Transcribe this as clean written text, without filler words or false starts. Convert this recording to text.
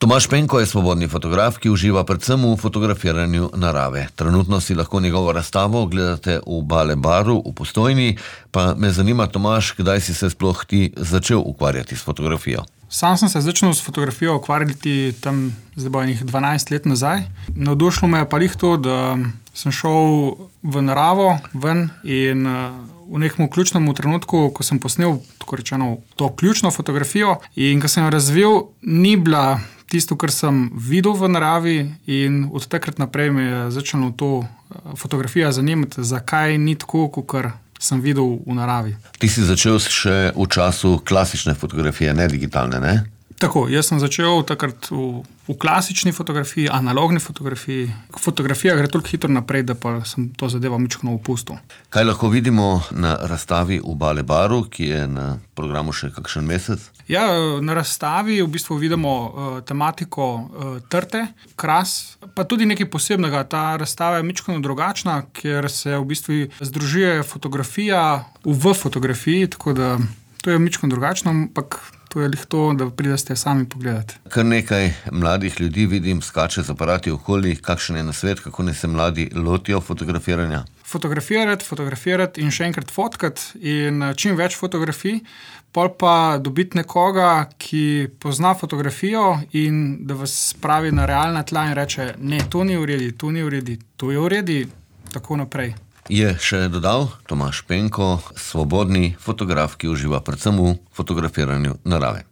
Tomaž Penko je svobodni fotograf, ki uživa predvsem v fotografiranju narave. Trenutno si lahko njegovo razstavo gledate v Bale baru v Postojni, pa me zanima, Tomaž, kdaj si se sploh ti začel ukvarjati s fotografijo? Sam sem se začel s fotografijo ukvarjati tam zdaj bo enih 12 let nazaj. Navdušilo me je pa to, da sem šel v naravo ven in v nekem ključnem trenutku, ko sem posnel tako rečeno to ključno fotografijo in ko sem jo razvil, ni bila tisto, kar sem videl v naravi, in od takrat naprej me je začelo to fotografija zanimati, zakaj ni tako, kot sem videl v naravi. Ti si začel še v času klasične fotografije, ne digitalne, ne? Tako, jaz sem začel takrat v klasični fotografiji, analogni fotografiji. Fotografija gre toliko hitro naprej, da pa sem to zadevo mičkeno opustil. Kaj lahko vidimo na razstavi v Bale baru, ki je na programu še kakšen mesec? Ja, na razstavi v bistvu vidimo tematiko trte, kras, pa tudi nekaj posebnega. Ta razstava je mičkeno drugačna, ker se v bistvu združuje fotografija v fotografiji, tako da to je mičkeno drugačno, ampak to je to, da pridete sami pogledati. Kar nekaj mladih ljudi vidim, skače z aparati okoli. Kakšen je nasvet, kako naj se mladi lotijo fotografiranja? Fotografirati in še enkrat fotkati in čim več fotografij, pol pa dobiti nekoga, ki pozna fotografijo in da vas spravi na realna tla in reče, ne, to ni v redu, to je v redu, tako naprej. Je še dodal Tomaž Penko, svobodni fotograf, ki uživa predvsem v fotografiranju narave.